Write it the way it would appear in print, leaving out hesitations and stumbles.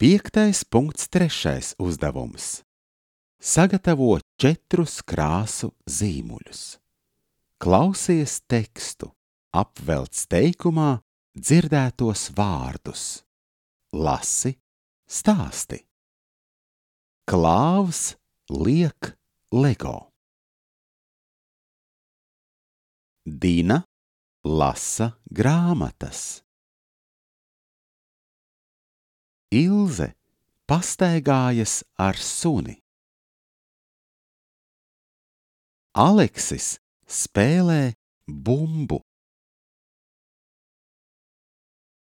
5.3. uzdevums. Sagatavo 4 krāsu zīmuļus. Klausies tekstu, apvelc teikumā dzirdētos vārdus. Lasi, stāsti. Klāvs liek Lego. Dina lasa grāmatas. Ilze pastaigājas ar suni. Aleksis spēlē bumbu.